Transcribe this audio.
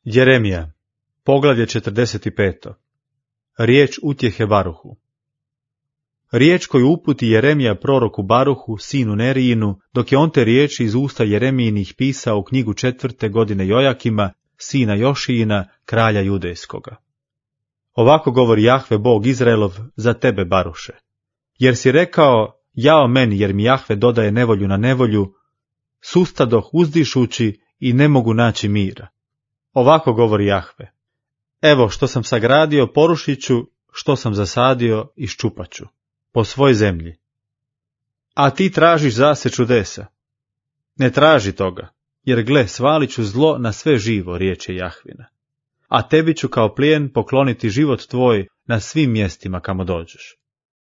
Jeremija, poglavlje 45. Riječ utjehe Baruhu. Riječ koju uputi Jeremija proroku Baruhu, sinu Nerijinu, dok je on te riječi iz usta Jeremijinih pisao u knjigu 4. godine Jojakima, sina Jošijina, kralja Judejskoga. Ovako govori Jahve Bog Izraelov za tebe, Baruše. Jer si rekao, jao meni, jer mi Jahve dodaje nevolju na nevolju, sustadoh uzdišući i ne mogu naći mira. Ovako govori Jahve. Evo što sam sagradio, porušit ću, što sam zasadio, iščupat ću, po svoj zemlji. A ti tražiš zase čudesa. Ne traži toga, jer gle, svalit ću zlo na sve živo, riječe Jahvina. A tebi ću kao plijen pokloniti život tvoj na svim mjestima kamo dođeš.